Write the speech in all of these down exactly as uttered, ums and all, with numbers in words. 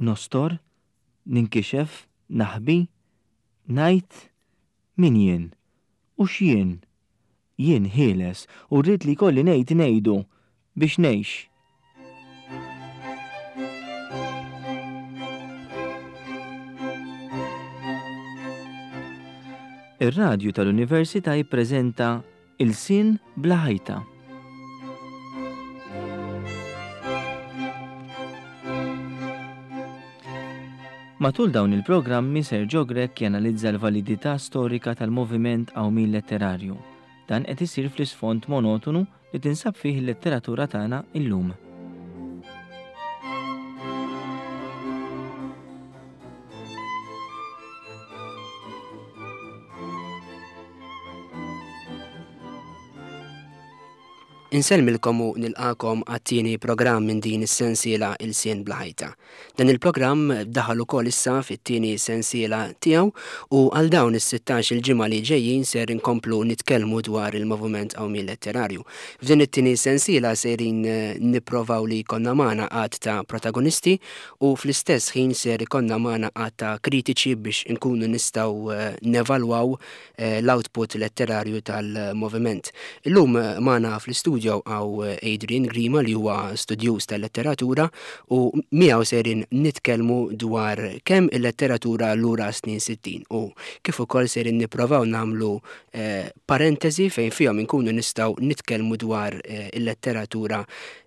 Nostor, ninkixef, naħbi, ngħid min jien u x'jien. Jien ħieles u rrid li jkolli ngħid ngħidu biex ngħix. Ir-radju tal-Università jippreżenta Ilsien bla ħajta. Matul dawn il-programmi Sergio Grech janalizza l-validità storika tal-moviment qawmien letterarju. Dan qed isir fl-isfond monotonu li tinsab fih il-letteratura tagħna illum. Insellmilkom u nilqakom għat-tieni programm minn din is-sensiela Ilsien bla ħajta. Dan il-programm daħal ukoll issa fit-tieni sensiela tiegħu u għal dawn is-sittax il-ġimgħa li ġejjin ser inkomplu nitkellmu dwar il-moviment qawmien letterarju. F'din it-tieni sensiela sejrin eh, nipprovaw li jkollna magħna għadd ta' protagonisti u fl-istess ħin ser ikollna magħna għadd ta' kritiċi biex inkunu nistgħu eh, nevalwaw eh, l-output letterarju tal-moviment. Illum magħna fl-istudju hawn Adrian Grima li huwa studjuż tal-letteratura u miegħu sejrin nitkellmu dwar kemm il-letteratura lura snin sittin u kif ukoll sejrin nipprovaw nagħmlu eh, parentesi fejn fihom inkunu nistgħu nitkellmu dwar eh, il-letteratura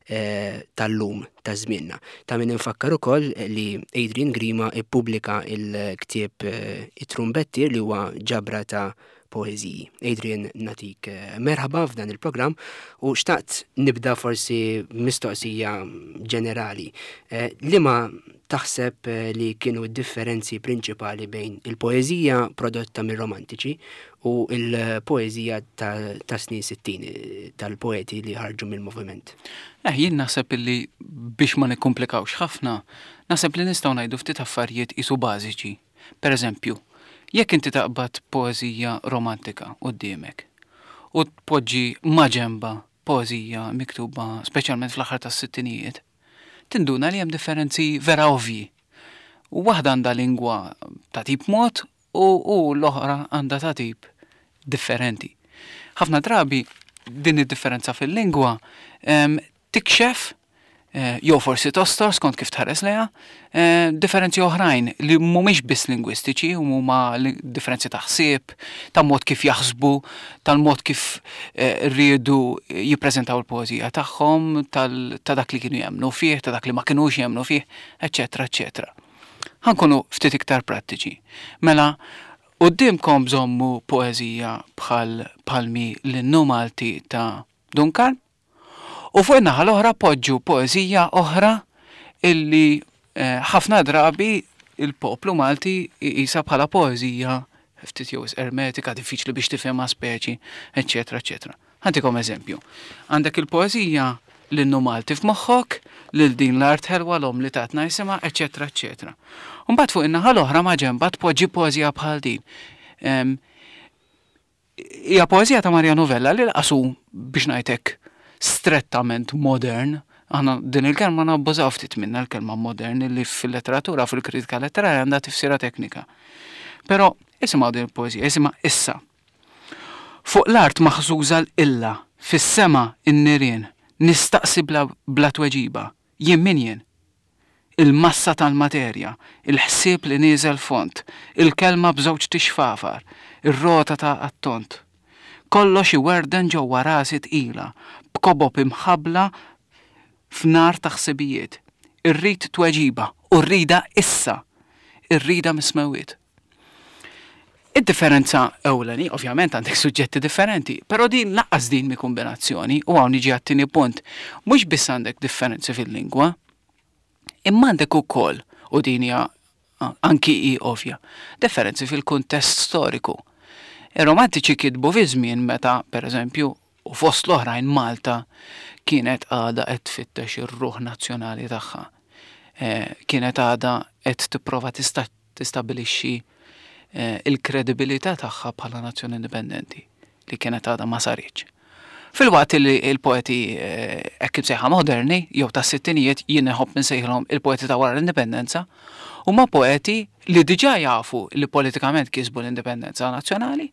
eh, tal-lum ta' żmienna. Ta' min infakkar ukoll li Adrian Grima ippubblika il-ktieb eh, It-Trumbettier li huwa ġabra ta' poeżiji. Adrian, natik eh, merħba f'dan il-programm u xtaqt nibda forsi mistoqsija ġenerali. Eh, liema taħseb, eh, li kienu d-differenzi prinċipali bejn il-poeżija prodotta mir-romantiċi u il-poeżija ta', ta' snin sittin, eh, tal-poeti li ħarġu mill-moviment? Eh, jien naħseb li biex ma nikkomplikawx ħafna, naħseb li nistgħu ngħidu ftit affarijiet isu bażiċi. Per eżempju, jekk inti taqbad poeżija romantika quddiemek u tpoġġi maġenba poeżija miktuba speċjalment fl-aħħar tas-sittinijiet, tinduna li hemm differenzi vera ovvji. U waħda għandha lingwa ta' tip mod u, u l-oħra għandha ta' tip differenti. Ħafna drabi din id-differenza fil-lingwa, em, tikxef, eh, jew forsi tostor skont kif tħares lejha, eh, differenzi oħrajn li mhumiex biss lingwistiċi, huma li-, differenzi ta' ħsieb, ta' mod kif jaħsbu, tal-mod kif, eh, riedu jippreżentaw il-poeżija tagħhom, tal-, ta' dak li kienu jemmnu fih, ta' dak li ma kinux jemmnu fih, eċċetera, eċċetera. Ħankunu ftit iktar prattiċi. Mela, quddiemkom bżommu poeżija bħal Palmi l-Innu Malti ta' Duncan, u fuq in-naħa l-oħra poġġu poeżija oħra illi, eh, ħafna drabi il-poplu Malti jqisha bħala poeżija ftit jew ermetika, diffiċli biex tifhimha speċi, eċċetera, eċċetera. Ħantikom eżempju. Għandek il-poeżija l-Innu Malti f'moħħok, lil din l-art ħelwa l-om li tatna jisimha, eċċetera, eċċetera. U mbagħad fuq in-naħa l-oħra ma' ġenba tpoġġi poeżija bħal din. Em, hija poeżija ta' Mariano Vella li laqasu biex ngħidlek strettament modern. Aħna din il-kelma nabbużaw ftit minna l-kelma modern li fil-letteratura, fil-kritika letterarja għandha tifsira teknika. Però isimgħu din il-poeżija, isimha issa. Fuq l-art maħżuża l-illa, fis-sema n-nirien, nistaqsi bla, bla tweġiba, jien min jien? Il-massa tal-materja, il-ħsieb li nieżel font, il-kelma b'żewġ tixfafar, ir-rota ta' attont. Kollox iwerden ġewwa rasi tqila, b'kobob imħabbla f'nar ta' ħsibijiet. Irrid tweġiba u rrida issa, irrida mismewiet. Id-differenza ewleni, ovvjament għandek suġġetti differenti, però din laqqas din mi kombinazzjoni, u hawn niġi għat-tieni punt, mhux biss għandek differenzi fil-lingwa, imma għandek ukoll, u din hija anki hi ovvja, differenzi fil-kuntest storiku. Ir-romantiċi kitbu fi żmien meta, per eżempju, u fost l-oħrajn Malta kienet għadha qed tfittex ir-ruħ nazzjonali tagħha. Eh, kienet għadha qed tipprova tista-, tistabbilixxi, eh, il-kredibilità tagħha bħala nazzjoni indipendenti li kienet għadha ma saritx. Filwaqt li l-poeti hekk imsejħa moderni jew tas-sittinijiet, jien inħobb insejħilhom il-poeti ta' wara l-indipendenza, huma poeti li diġà jafu li politikament kisbu l-indipendenza nazzjonali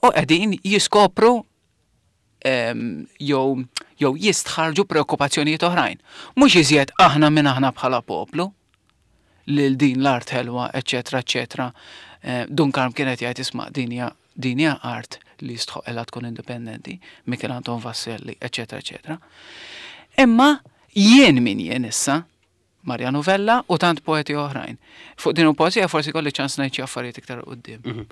u qegħdin jiskopru jew jew jistħarġu preokkupazzjonijiet oħrajn. Mhux iżjed aħna minn aħna bħala poplu lil din l-art ħelwa, eċetera, eċetera. Dun Karm kienet jgħid, isma', din hija din hija art li jistħoqilha tkun indipendenti, Michel Anton Vassalli, eċetera, eċetera. Imma jien min jien issa, Mariano Vella u tant poeti oħrajn. Fuq din il-poezija forsi kolli ċans ngħid xi affarijiet iktar quddiem. Mhm.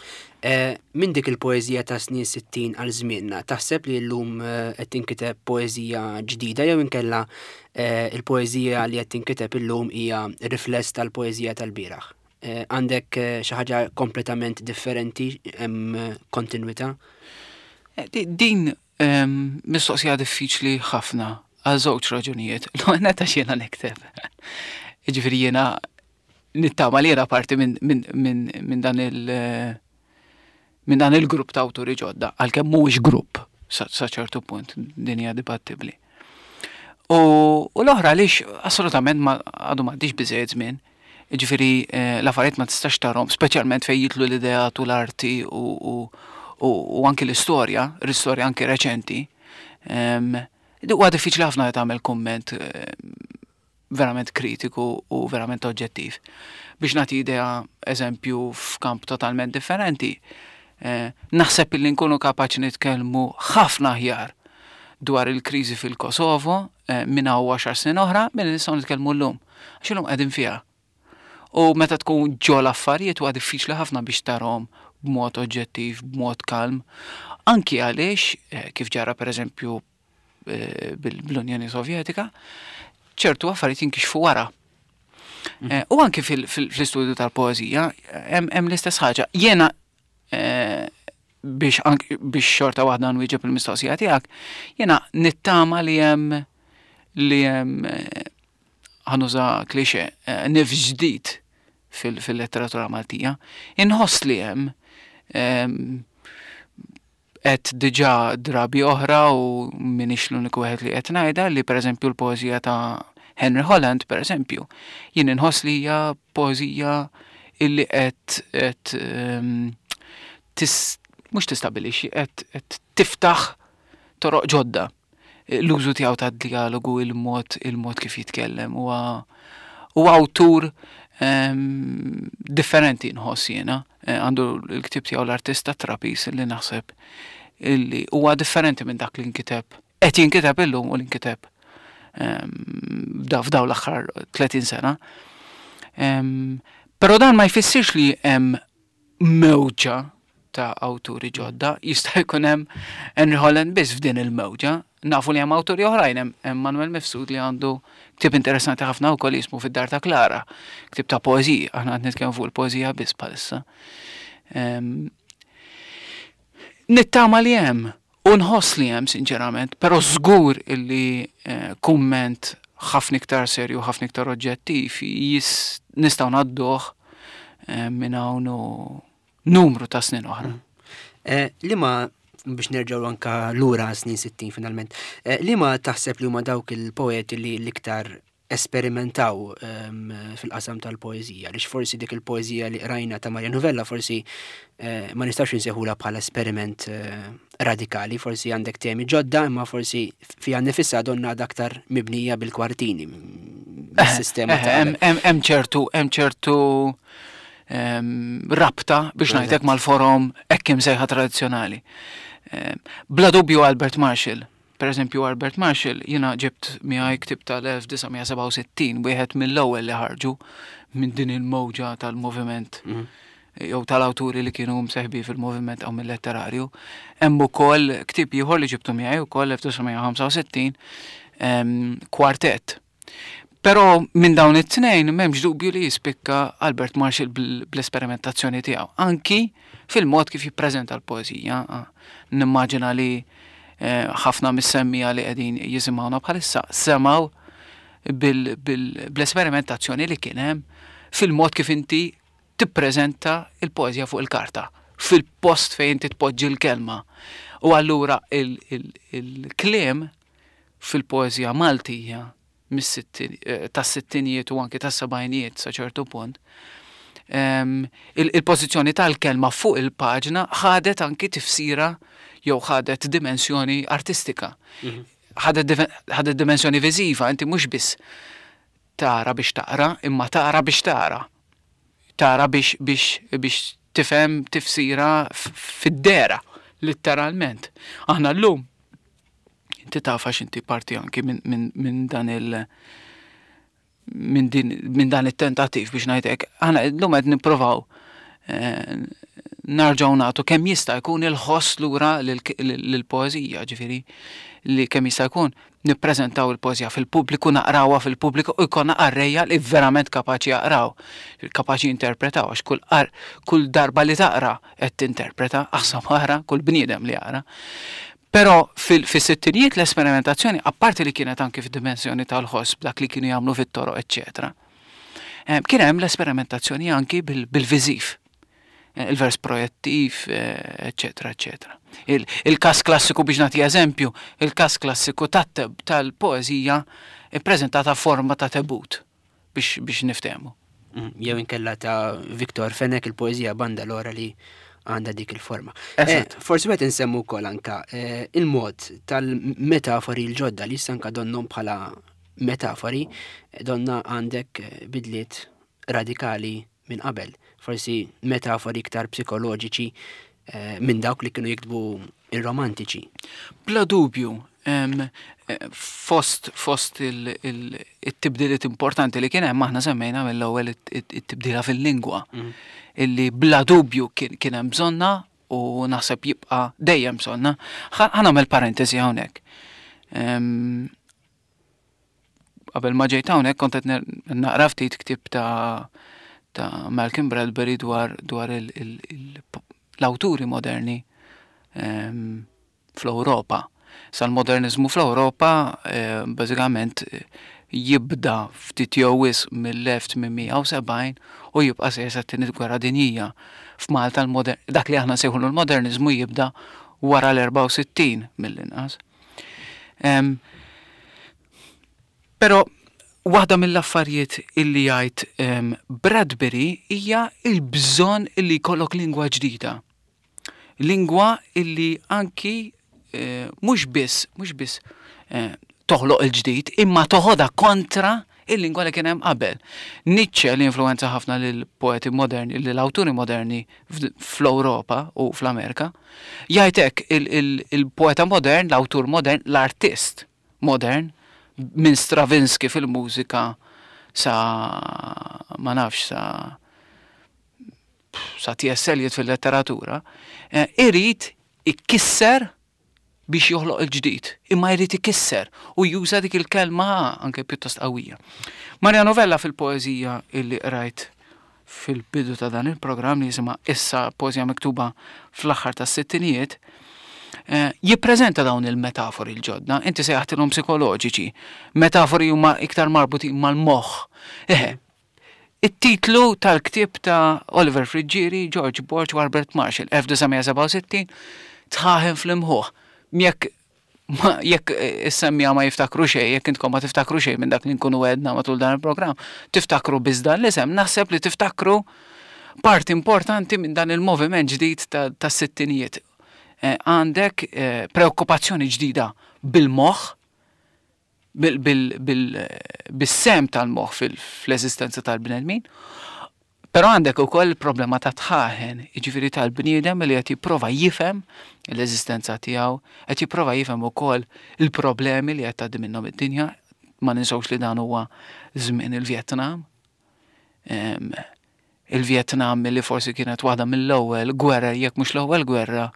Eh, Min dik il-poezija ta' snin sittin għal żmienna, taħseb li llum eh, qed tinkiteb poezija ġdida jew inkella eh, il-poezija li qed tinkiteb illum hija rifless tal-poezija tal-bieraħ? Għandek xi ħaġa kompletament differenti, hemm kontinwità? Din ehm, mistoqsija diffiċli ħafna għal żewġ raġunijiet. L-ewwel għax jiena nikteb. Jiġifieri jiena nittama li jiena parti minn min, min, min dan il- minn dan il-grupp ta' awturi ġodda, għalkemm mhuwiex grupp sa ċertu punt, din hija dibattibbli. U, u l-oħra għaliex assolutament ma għadu m'għaddiex biżejjed żmien. Ġifieri eh, l-affarijiet ma tistax tarhom, speċjalment fejn jidħlu l-idea u l-arti u, u, u, u anki l-istorja, l-istorja anki reċenti. Huwa diffiċli ħafna li tagħmel kumment verament kritiku u verament oġġettiv. Biex nagħti idea, eżempju, f'kamp totalment differenti, eh, naħseb li nkunu kapaċi nitkellmu ħafna aħjar dwar il-kriżi fil-Kosovo eh, minn hawn għaxar snin oħra milli nistgħu nitkellmu llum. Għax illum qegħdin fiha. U meta tkun ġo l-affarijiet huwa diffiċli ħafna biex tarhom b'mod oġġettiv, b'mod kalm. Anki għaliex, eh, kif ġara pereżempju eh, bil-Unjoni Sovjetika, ċertu affarijiet jinkixfu wara. Mm. Eh, u anki fil-istudju tal-poezija, hemm l-istess ħaġa. Jiena biex biex xorta waħda nwieġeb il-mistoqsija tiegħek, jiena nittama li hemm li hemm, ħa nuża klixe, nifs ġdid fil-letteratura Maltija. Inħoss li hemm, qed diġà drabi oħra u minix l-uniku wieħed li qed ngħidha, li pereżempju l-poeżija ta' Henry Holland, pereżempju, jien inħoss li hija poeżija illi qed qed tis mhux tistabilixxi, qed qed tiftaħ toroq ġodda. L-użu tiegħu tad-dialogu, il-mod il-mod kif jitkellem, huwa huwa awtur differenti nħoss jiena. Għandu l-ktib tiegħu L-Artista Trapis li naħseb illi huwa differenti minn dak li nkiteb, qed jinkiteb illum u li nkiteb f'daw l-aħħar tletin sena. Però dan ma jfissirx li hemm mewġa ta' awturi ġodda, jista' jkun hemm Henry Holland biss f'din il-mewġa. Nafu li hemm awturi oħrajn, hemm Manuel Mifsud li għandu ktieb interessanti ħafna wkoll jismu Fid-Dar ta' Klara, ktieb ta' poeżija, aħna qed nitkellmu fuq il-poeżija biss bħalissa. Nittama li hemm, u nħoss li hemm sinċerament, però żgur illi kumment ħafna iktar serju, ħafna iktar oġġettiv nistgħu ngħadduh minn hawn u numru ta' snin oħra. Li ma biex nerġgħu anka lura snin sittin finalment, li ma taħseb li huma dawk il-poeti li l-iktar esperimentaw fil-qasam tal-poeżija, għaliex forsi dik il-poeżija li qrajna ta' Mariano Vella forsi ma nistax insejħula bħala esperiment radikali, forsi għandek temi ġodda, imma forsi fiha nifisha donna aktar mibnija bil-kwartini, bis-sistema ta' Hemm ċertu, hemm ċertu rabta biex ngħidlek mal-forom hekk imsejħa tradizzjonali. Bla dubju Albert Marshall. Per eżempju, Albert Marshall, jiena ġibt miegħi ktib tal-elf disa' mija sebgħa u sittin, wieħed mill-ewwel li ħarġu minn din il-mowġa tal-moviment jew tal-awturi li kienu mseħbi fil-moviment għaw mill-letterarju. Hemm ukoll ktieb ieħor li ġibtu miegħi wkoll elf disa' mija ħamsa u sittin, Kwartett. Però minn dawn it-tnejn m'hemmx dubju li jispikka Albert Marshall bl-esperimentazzjoni tiegħu, anki fil-mod kif jippreżenta l-poeżija. Nimmaġina li ħafna mis-semmija li qegħdin jisimgħuna bħalissa semgħu bl-esperimentazzjoni li kien hemm fil-mod kif inti tippreżenta il-poeżija fuq il-karta, fil-post fejn inti tpoġġi l-kelma. U allura il-kliem fil-poeżija Maltija tas-sittinijiet u anki tas-sebgħinijiet sa ċertu punt, il-pożizzjoni tal-kelma fuq il-paġna ħadet anki tifsira jew ħadet dimensjoni artistika. Ħadet dimensjoni viżiva, inti mhux biss tara biex taqra, imma tara biex tara. Tara biex biex biex tifhem tifsira fid-dehra, letteralment. Aħna llum, inti taf għax inti parti anki minn dan il- minn din minn dan it-tentattiv biex ngħidlek, aħna llum qed nippruvaw narġgħu nagħtu kemm jista' jkun il-ħoss lura lill-poeżija, ġifieri li kemm jista' jkun nippreżentaw il-poeżija fil-pubbliku, naqrawha fil-pubbliku u jkollna qarrejja li verament kapaċi jaqraw, kapaċi jinterpretaw, għax kull kull darba li taqra qed tinterpreta, aħseb ara kull bniedem li jaqra. Però fis-sittinijiet l-esperimentazzjoni, apparti li kienet anki fid-dimensjoni tal-ħoss b'dak li kienu jagħmlu fit-toroq, eċċetera, kien hemm l-esperimentazzjoni anki bil-viżiv, il-vers projettiv, eċċetera, eċċetera. Il-każ klassiku, biex nagħti eżempju, il-każ klassiku tal-poeżija ippreżentata forma ta' tebut biex biex niftehmu. Jew inkella ta' Victor Fenech, il-poeżija Bandalora, li għandha dik il-forma. Forsi qed insemmu wkoll anka il-mod tal-metafori l-ġodda li issa anka donnhom bħala metafori, donna għandek bidliet radikali minn qabel. Forsi metafori iktar psikoloġiċi minn dawk li kienu jiktbu ir-romantiċi. Bla dubju, fost fost il-tibdiliet importanti li kien hemm, aħna semmejna mill-ewwel it-tibdila fil-lingwa, illi bla dubju kien hemm bżonna u naħseb jibqa' dejjem bżonna. Ħa nagħmel parentesi hawnhekk. Qabel ma ġejt hawnhekk kont qed naqra ftit ktieb ta' ta' Malcolm Bradbury dwar dwar l-awturi moderni fl-Ewropa. Sal-modernizmu fl-Ewropa bażikament jibda ftit jew wisq mill-elf tmien mija u sebgħin u jibqa' sejjer sat-Tieni Gwerra Dinjija. F'Malta dak li aħna nsejħulu l-modernizmu jibda wara l-erbgħa u sittin mill-inqas. Però waħda mill-affarijiet illi jgħid Bradbury hija il-bżonn illi jkollok lingwa ġdida. Lingwa illi anki mhux biss mhux biss toħloq il-ġdid, imma toħodha kontra il-lingwa li kien hemm qabel. Nietzsche, li influenza ħafna lil poeti moderni, lill-awturi moderni fl-Ewropa u fl-Amerika, jgħid hekk: il-poeta modern, l-awtur modern, l-artist modern, minn Stravinsky fil-mużika sa ma nafx sa sa T S. Eliot fil-letteratura, irid ikisser biex joħloq il-ġdid, imma jrid ikisser u juża dik il-kelma anke pjuttost qawwija. Mariano Vella, fil-poeżija illi qrajt fil-bidu ta' dan il-programm li jisimha Issa, poeżija miktuba fl-aħħar tas-sittinijiet, jippreżenta dawn il-metafori l-ġodda, inti sejjaħtilhom psikoloġiċi, metafori huma iktar marbutin mal-moħħ. Eħe, it-titlu tal-ktieb ta' Oliver Friggieri, George Borg u Albert Marshall, elf disa' mija sebgħa u sittin, Dħaħen fl-Imħuħ. Jekk jekk is-semmija ma jiftakru xejn, jekk intkom ma tiftakru xejn minn dak li nkunu għedna matul dan il-programm, tiftakru biss dan l-isem, naħseb li tiftakru parti importanti minn dan il-moviment ġdid tas-sittinijiet. Għandek preokkupazzjoni ġdida bil-moħħ, bis-sehem tal-moħħ fl-eżistenza tal-bnedmin, però għandek ukoll il-problema ta' dħaħen, jiġifieri tal-bniedem li qed jipprova jifhem l-eżistenza tiegħu, qed jipprova jifhem ukoll il-problemi li qed tgħaddi minnhom id-dinja. Ma ninsewx li dan huwa żmien il-Vjetnam. Il-Vjetnam li forsi kienet waħda mill-ewwel gwerra, jekk mhux l-ewwel gwerra,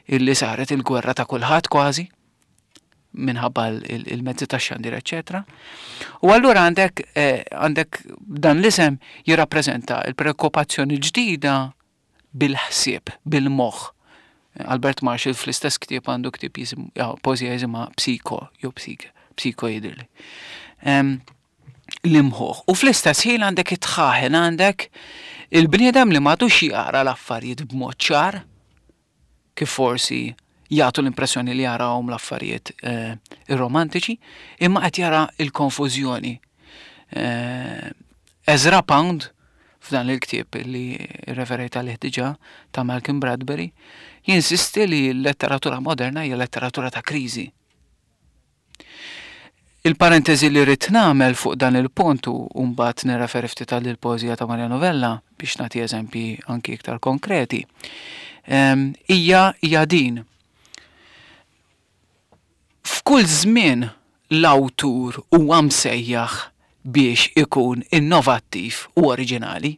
illi saret il-gwerra ta' kulħadd kważi, minħabba il-mezzi ta' xandir, eċċetera. U allura għandek għandek dan l-isem jirrappreżenta il-preokkupazzjoni ġdida bil-ħsieb, bil-moħħ. Albert Marshall fl-istess ktieb għandu ktieb jisim, poeżija jisimha Psiko, jew Psike, Psiko jidhirli. L-imħuħ. U fl-istess ħin għandek it-dħaħen, għandek il-bniedem li m'għadux jara l-affarijiet b'mod ċar, kif forsi jagħtu l-impressjoni li jarawhom l-affarijiet eh, ir-romantiċi, imma qed jara l-konfużjoni. Eh, Ezra Pound, f'dan il-ktieb li referejt għalih diġà ta' Malcolm Bradbury, jinsisti li l-letteratura moderna hija letteratura ta' kriżi. Il-parentesi li rrid nagħmel fuq dan il-punt u mbagħad nirreferi ftit għal il-poeżija ta' Mariano Vella biex nagħti eżempji anki iktar konkreti, ehm, hija hija din. F'kull żmien l-awtur huwa msejjaħ biex ikun innovattiv u oriġinali.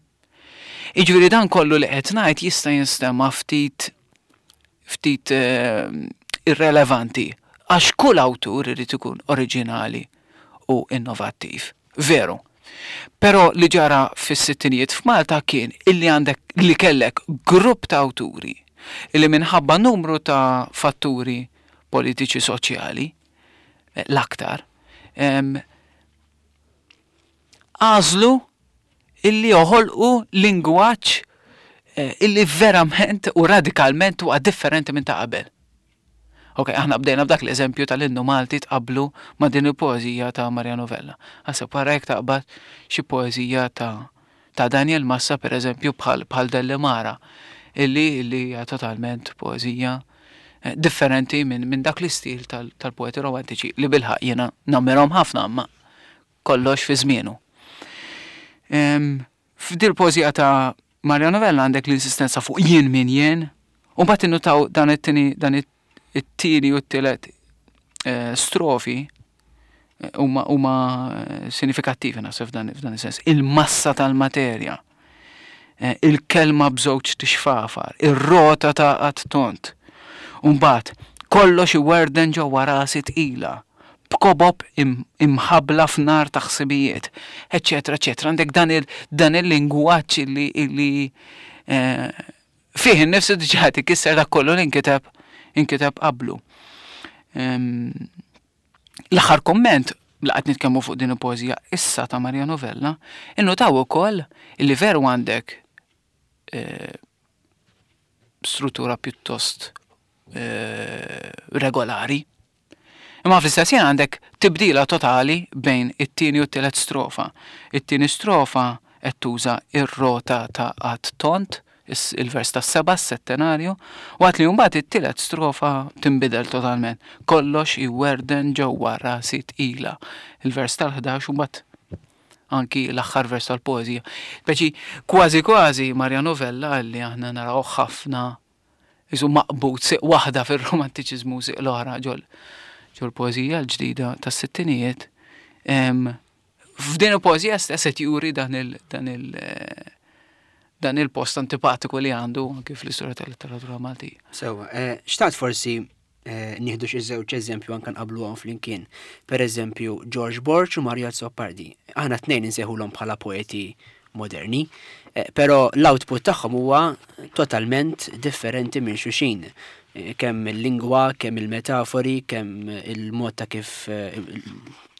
Jiġifieri dan kollu li qed ngħid jista' jinstema' ftit ftit eh, irrelevanti għax kull awtur irid ikun oriġinali u innovattiv. Veru. Però li ġara fis-sittinijiet f'Malta kien illi għandek li kellek grupp ta' awturi illi minħabba numru ta' fatturi politiċi soċjali eh, l-aktar em, għażlu illi joħolqu lingwaġġ eh, illi verament u radikalment huwa differenti minn ta' qabel. Ok, aħna bdejna b'dak l-eżempju tal-innu Malti tqablu ma' din il-poeżija ta' Mariano Vella. Aħseb wara jekk taqbad xi poeżija ta' ta' Daniel Massa per eżempju bħal bħal Dellimara illi illi hija totalment poeżija eh, differenti minn min dak l-istil tal- tal-poeti romantiċi li bilħaq jiena nammirhom ħafna imma kollox fi żmienu. Em, F'dil poeżija ta' Mariano Vella għandek l-insistenza fuq jien min jien, u mbagħad innutaw dan it-tieni dan it-tieni u t-tielet eh, strofi eh, huma huma eh, sinifikattivi naħseb f'dan f'dan is-sens. Il-massa tal-materja, eh, il-kelma b'żewġ tixfafar, ir-rota ta' qatt tont. U mbagħad kollox iwerden ġewwa rasi tqila, b'kobob im- imħabla f'nar ta' ħsibijiet, eċetera, eċetera. Għandek dan il dan il-lingwaġġ illi illi eh, fih innifsu diġà ikisser dak kollu li nkiteb inkiteb qablu. Em, L-aħħar komment li qed nitkellmu fuq din il-poeżija issa ta' Mariano Vella, innutaw ukoll illi veru għandek eh, struttura pjuttost eh, regolari. Imma fl-istess ħin għandek tibdila totali bejn it-tieni u t-tielet strofa. It-tieni strofa qed tuża ir-rota ta' qatt tont, is- il-vers tas-seba' s-settenarju, waqt li mbagħad it-tielet strofa tinbidel totalment. Kollox iwerden ġewwa rasi tqila. Il-vers tal-ħdax u mbagħad anki l-aħħar vers tal-poeżija. Speċi kważi kważi Mariano Vella li aħna naraw ħafna isu maqbud siq waħda fir-romantiċiżmu siq l-oħra ġol ġol poeżija l-ġdida tas-sittinijiet. Em, F'din il-poeżija stess qed juri dan il dan il eh, dan il-post antipatiku li għandu anki fl-istorja tal-letteratura Maltija. Sewa, eh, xtaqt forsi eh, nieħdu xi żewġ eżempju anke nqabluhom flimkien. Per eżempju, George Borg u Mario Azzopardi. Aħna tnejn insejħulhom bħala poeti moderni, eh, però l-output tagħhom huwa totalment differenti minn xulxin. Eh, Kemm il-lingwa, kemm il-metafori, kemm il-mod ta' kif eh,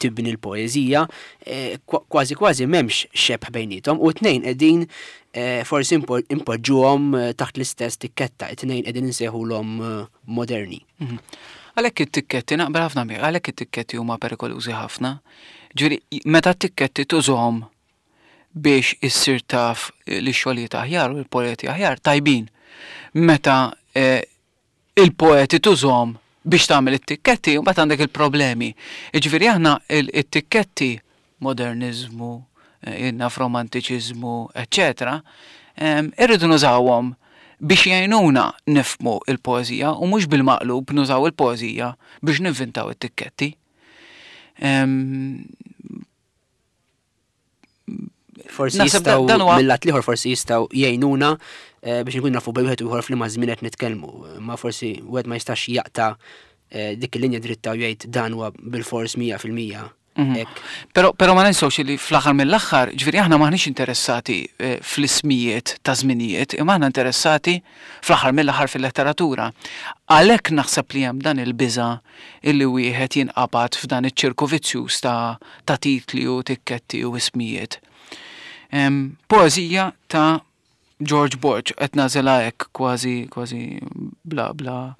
tibni l-poeżija, eh, kwa- kważi kważi m'hemmx xebh bejnietom u tnejn qegħdin eh, forsi impo- impoġġuhom eh, taħt l-istess tikketta, it-tnejn qegħdin insejħulhom eh, moderni. Mhm. Għalhekk it-tikketti naqbel ħafna miegħek, għalhekk it-tikketti huma perikolużi ħafna. Ġifieri meta t-tikketti tużhom biex issir taf li xogħlijiet aħjar u l-poeti aħjar tajbin. Meta eh, il-poeti tużhom biex tagħmel it-tikketti, mbagħad għandek il-problemi. Jiġifieri aħna il- it-tikketti moderniżmu, eh, naf romantiċiżmu, eċetera, em, irridu nużawhom biex jgħinuna nifhmu il-poeżija u mhux bil-maqlub nużaw il-poeżija biex ninvintaw it-tikketti. Em, Forsi Naħseb jistgħu dan huwa- mill-lat l-ieħor forsi jistgħu jgħinuna eh, biex nkun nafu bejn wieħed u ieħor f'liema żmien qed nitkellmu. Ma forsi wieħed ma jistax jaqta' eh, dik il-linja dritta u jgħid dan huwa bil-fors mija fil-mija. Mhm. Hekk. Però, però ma ninsewx li fl-aħħar mill-aħħar, ġifieri aħna maħniex interessati eh, fl-ismijiet ta' żminijiet, imma aħna interessati fl-aħħar mill-aħħar fil-letteratura. Għalhekk naħseb li hemm dan il-biża illi wieħed jinqabad f'dan iċ-ċirku vizzjuż ta', ta' titli u tikketti u ismijiet. Em, Poeżija ta' George Borg, qed nagħżilha hekk kważi kważi bla bla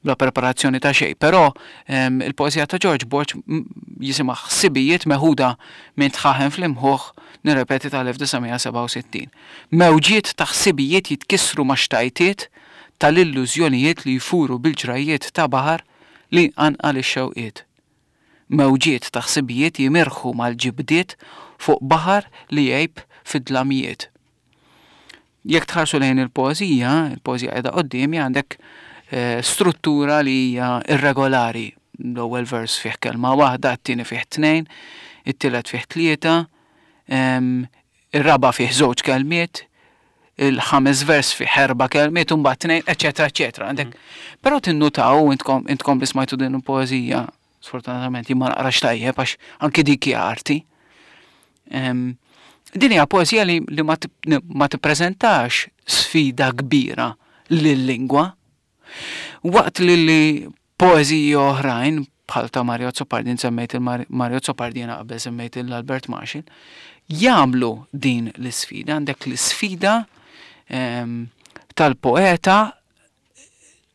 bla preparazzjoni ta' xejn, però il-poeżija ta' George Borg jisimha Ħsibijiet meħuda minn Dħaħen fl-Imħuħ, nirrepeti, tal-elf disa' mija sebgħa u sittin. Mewġiet ta' ħsibijiet jitkissru ma' xtajtiet tal-illużjonijiet li jfuru bil-ġrajjiet ta' baħar li jqanqal ix-xewqiet. Mewġiet ta' ħsibijiet jimirħu mal-ġibdiet fuq baħar li jgħib fid-dlamijiet. Jekk tħarsu lejn il-poeżija, il-poeżija qiegħda quddiemi, għandek eh, struttura li hija irregolari. L-ewwel vers fih kelma waħda, it-tieni fih tnejn, it-tielet fih tlieta, em, ir-raba' fih żewġ kelmiet, il-ħames vers fih erba' kelmiet, u mbagħad tnejn, eċetera, eċetera. Għandek, però tinnutaw intkom, intkom li smajtu din il-poeżija, sfortunatament jien ma naqrax tajjeb għax anki dik hija arti. Em, din hija poeżija li, li ma tip-, ma tippreżentax sfida kbira lil-lingwa. Waqt li li poeżiji oħrajn bħal ta' Mario Azzopardi, semmejt il-Mario Azzopardi jiena qabel semmejt il-Albert Marshall, jagħmlu din l-isfida. Għandek l-isfida, em, tal-poeta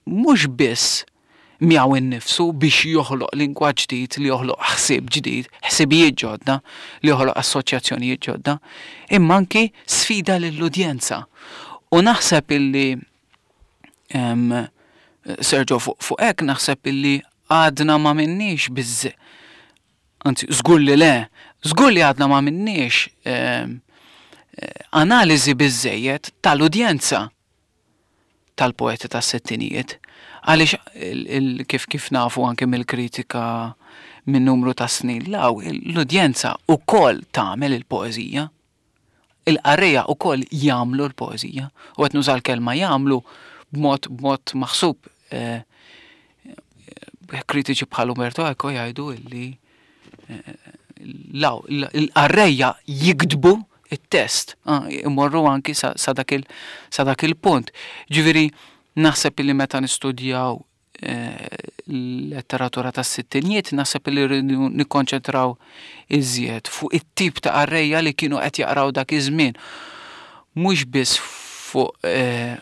mhux biss miegħu innifsu biex joħloq lingwa ġdid, li joħloq ħsieb ġdid, ħsibijiet ġodda, li joħloq assoċjazzjonijiet ġodda, imma anki sfida lill-udjenza. U naħseb illi, em, Sergio, fuq, fuq hekk naħseb illi għadna ma minniex biżżejjed, anzi, żgur li le, żgur li għadna ma minniex, em, analiżi biżżejjed tal-udjenza tal-poeti tas-sittinijiet. Għaliex il-, il-, kif, kif nafu anke mill-kritika minn numru ta' snin law, l-udjenza ukoll tagħmel il-poeżija. Il-qarrejja ukoll jagħmlu l-poeżija. U qed nuża l-kelma jagħmlu b'mod, b'mod maħsub. Eh, kritiċi bħal Umberto Eco jgħidu illi, eh, law, il-qarrejja jiktbu it-test, ah, imorru anki sa, sa dak il, sa dak il-punt. Ġifieri, naħseb illi meta nistudjaw, eh, l-letteratura tas-sittinijiet, naħseb illi rridu nikkonċentraw iżjed fuq it-tip ta' qarrejja li kienu qed jaqraw dak iż-żmien. Mhux biss fuq, eh,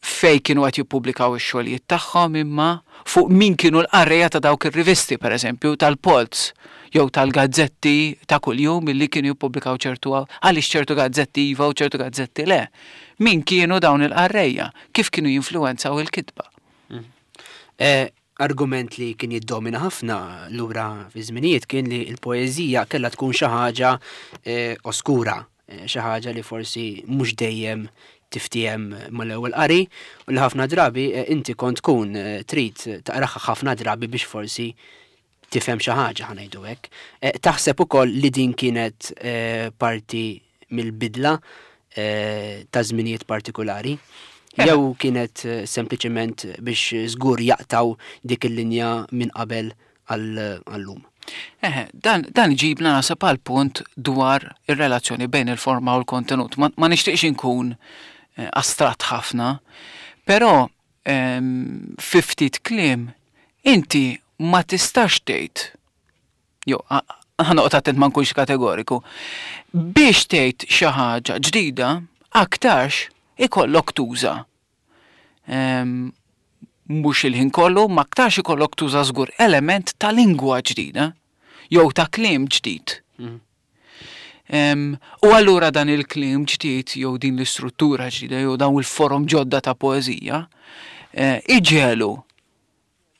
fej kienu qed jippubblikaw ix-xogħlijiet tagħhom, imma fuq min kienu l-qarrejja ta' dawk ir-rivisti, pereżempju tal-Polz, jew tal-gazzetti ta' kuljum illi kienu jippubblikaw ċertu, għaliex ċertu gazzetti iva u ċertu gazzetti le. Min kienu dawn il-qarrejja? Kif kienu jinfluwenzaw il-kitba? Mm. Eh, argument li kien jiddomina ħafna lura fi żminijiet kien li l-poeżija kellha tkun xi ħaġa, eh, oskura, eh, xi ħaġa li forsi mhux dejjem tiftiehem mal-ewwel qari u li ħafna drabi, eh, inti kont tkun, eh, trid taqraha ħafna drabi biex forsi tifhem xi ħaġa, ħa ngħidu hekk. Eh, taħseb ukoll li din kienet, eh, parti mill-bidla, eh, ta' żminijiet partikolari? Eh. Jew kienet, eh, sempliċement biex żgur jaqtaw dik il-linja minn qabel għal-, għall-lum? Eh, dan, dan ġibna naħseb għal punt dwar ir-relazzjoni bejn il-forma u l-kontenut. Ma, ma nixtieqx inkun, eh, astratt ħafna, però, ehm, fi ftit kliem inti ma tistax tgħid, jew, a-, ħa noqgħod attent ma nkunx kategoriku, biex tgħid xi ħaġa ġdida aktarx ikollok tuża. Ehm, mhux il-ħin kollu, ma aktarx ikollok tuża żgur element ta' lingwa ġdida jew ta' kliem ġdid. Mhm. Em, u allura dan il-kliem ġdid jew din l-istruttura ġdida jew dawn il-forom ġodda ta' poeżija, eh, iġelu,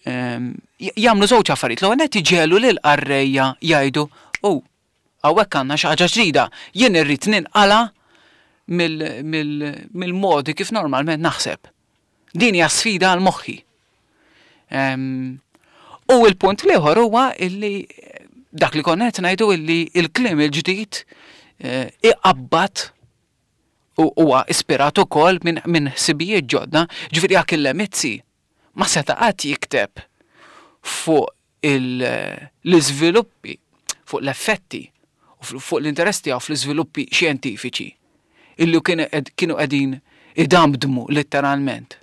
em, j-, jagħmlu żewġ affarijiet. L-ewwel nett iġelu lil qarrejja jgħidu, oh, hawnhekk għandna xi ħaġa ġdida, jien irrid ninqala mill-, mill-, mill-modi kif normalment naħseb. Din hija sfida għal moħħi. Em, u l-punt l-ieħor huwa illi dak li konna qed ngħidu illi il-kliem il-ġdid, eh, iqabbad u huwa ispirat ukoll minn, minn ħsibijiet ġodda, ġifieri Achille Mizzi ma seta' qatt jikteb fuq il-, l-iżviluppi, fuq l-effetti, u fu-, fuq l-interess tiegħu fl-iżviluppi xjentifiċi illi kienu qed-, kienu qegħdin idamdmu letteralment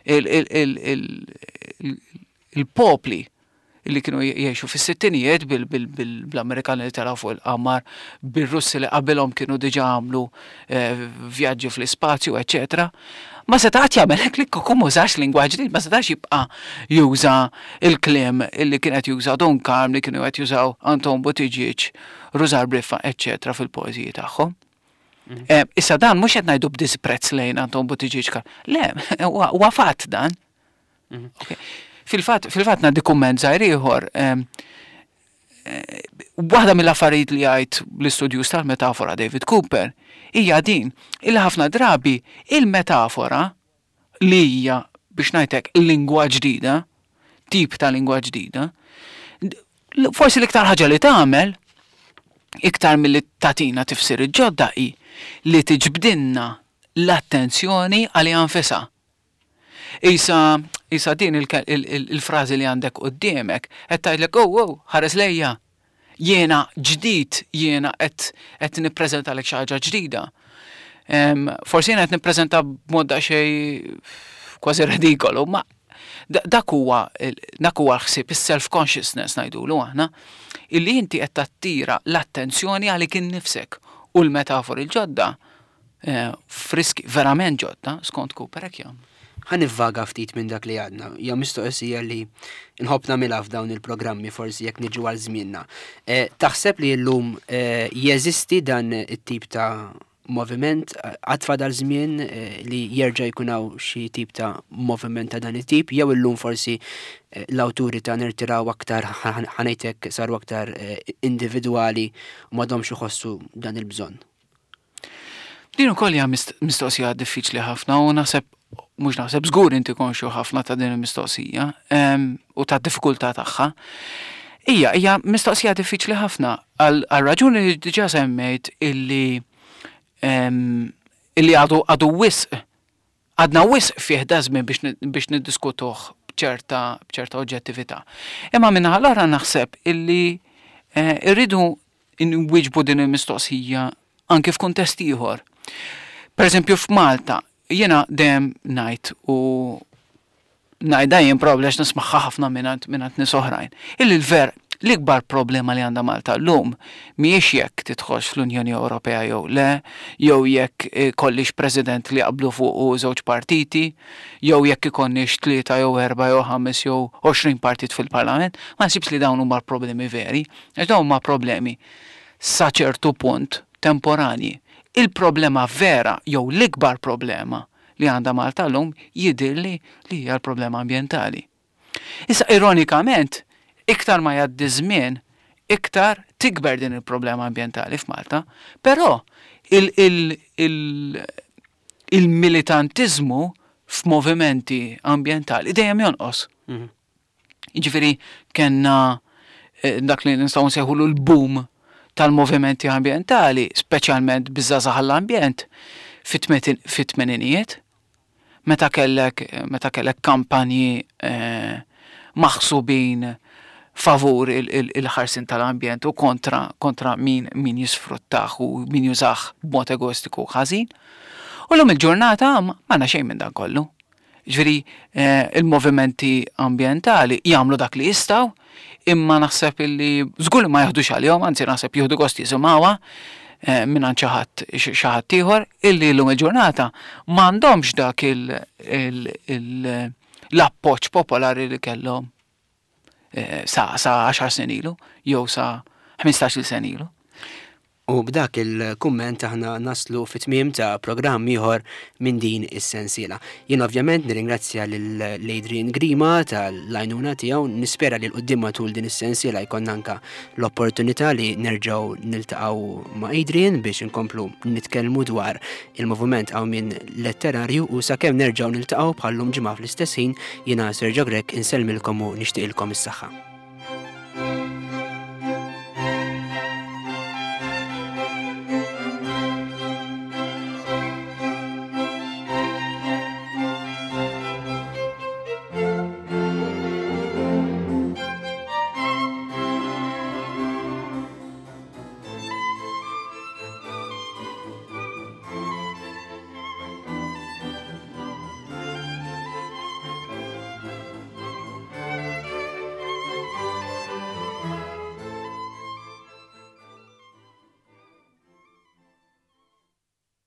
il-, il-, il-, il-, il-, il-popli illi kienu jgħixu fis-sittinijiet bil-, bil-, bil-, bl-Amerikani li telgħu fuq il-qamar, bir-Russi li qabilhom kienu diġà għamlu, eh, vjaġġi fl-ispazju, eċċetera. Ma setax jagħmel hekk li kieku m'użax lingwa ġdid, ma setax jibqa' juża il-kliem illi kien qed juża Dun Karm, li kienu qed jużaw Anton Buttigieg, Rużar Briffa, eċċetera fil-poeżiji tagħhom. Mhm. Eh, issa dan mhux qed ngħidu b'disprezz lejn Anton Buttigieg. Le, huwa fatt dan. Mhm. Fil-fatt, fil-fatt ngħaddi kumment żgħir ieħor. Eh, waħda mill-affarijiet li jgħid l-istudjuż tal-metafora David Cooper hija din, illi ħafna drabi il-metafora li hija biex ngħidlek lingwa ġdida, tip ta' lingwa ġdida, forsi l-iktar ħaġa li tagħmel iktar milli tagħtina tifsir ġodda hi li tiġbdilna l-attenzjoni għaliha nfisha. Isa, isa din il-frażi li għandek quddiemek, qed tgħidlek, oh, oh, ħares lejja. Jiena ġdid, jiena qed qed nippreżentalek xi ħaġa ġdida. Forsi jiena qed nippreżenta b'mod daqsxejn kważi ridikolu, ma dak huwa dak huwa l-ħsieb, is-self-consciousness ngħidulu aħna, illi inti qed tattira l-attenzjoni għalik innifsek u l-metafori l-ġodda eh, friski verament ġodda skont Cooper hekk jagħmlu. Ħa nivvaga ftit minn dak li għadna. Hija mistoqsija li nħobb nagħmilha f'dawn il-programmi forsi jekk niġu għal żmienna. Eh, taħseb li llum eh, jeżisti dan it-tip ta' moviment għad fadal żmien eh, li jerġa' jkun hawn xi tip ta' moviment ta' dan it-tip, jew illum forsi l-awturi ta' nirtiraw aktar ħa ngħidlek saru aktar individwali u m'għadhomx iħossu dan il-bżonn? Din ukoll hija mistoqsija diffiċli ħafna u naħseb mhux naħseb żgur inti konxju ħafna ta' din il-mistoqsija u ta' diffikultà tagħha. Hija hija mistoqsija diffiċli ħafna għal raġuni li diġà semmejt illi illi għadu għadu wisq għadna wisq fih da żmien biex niddiskutuh b'ċerta b'ċerta oġġettività. Imma min-naħa l-oħra naħseb illi eh, irridu nwieġbu din il-mistoqsija anke f'kuntest ieħor. Per eżempju f'Malta, jiena dejjem ngħid u ngħidha jien probabbli għax nismagħha ħafna mingħand mingħand nies oħrajn. Illi l-ver l-ikbar problema li għandha Malta llum mhijiex jekk tidħolx fl-Unjoni Ewropea jew le, jew jekk ikollix president li jaqblu fuq żewġ partiti, jew jekk ikonniex tlieta jew erba' jew ħames jew għoxrin partit fil-Parlament, ma nsibx li dawn huma l-problemi veri, għax dawn huma problemi sa ċertu punt temporani. Il-problema vera jew l-ikbar problema li għandha Malta llum jidhirli li hija l-problema ambjentali. Issa ironikament, iktar ma jgħaddi żmien, iktar tikber din il-problema ambjentali f'Malta, però il-militantiżmu f'movimenti ambjentali dejjem jonqos. Mhm. Jiġifieri kellna eh, dak li nistgħu nsejħulu l-boom tal-movimenti ambjentali, speċjalment biż-żgħażagħ għall-ambjent fit-tmeninijiet, meta kellek meta kellek kampanji eh, maħsubin favur il-ħarsien tal-ambjent u kontra kontra min min jisfruttah u min jużah b'mod egoistiku ħażin. U llum il-ġurnata m'għandna xejn minn dan kollu. Ġifieri eh, il-movimenti ambjentali jagħmlu dak li jistgħu, imma naħseb illi żgur li ma jaħdux għalihom, anzi naħseb jieħdu gost jisimgħuha eh, minn xi ħadd xi ħadd ieħor illi llum il-ġurnata m'għandhomx dak l-appoġġ popolari li kellhom eh, sa sa għaxar snin ilu jew sa ħmistax-il sena ilu. U b'dak il-kumment aħna naslu fit-tmiem ta' programm ieħor minn din is-sensiela. Jien ovvjament nirringrazzja lil Adrian Grima tal-għajnuna tiegħu, nispera li 'l quddiem matul din is-sensiela jkollna anka l-opportunità li nerġgħu niltaqgħu ma' Adrian biex inkomplu nitkellmu dwar il-moviment Qawmien Letterarju u sakemm nerġgħu niltaqgħu bħallum ġimgħa fl-istess ħin jiena Sergio Grech insellmilkom u nixtieqilkom is-saħħa.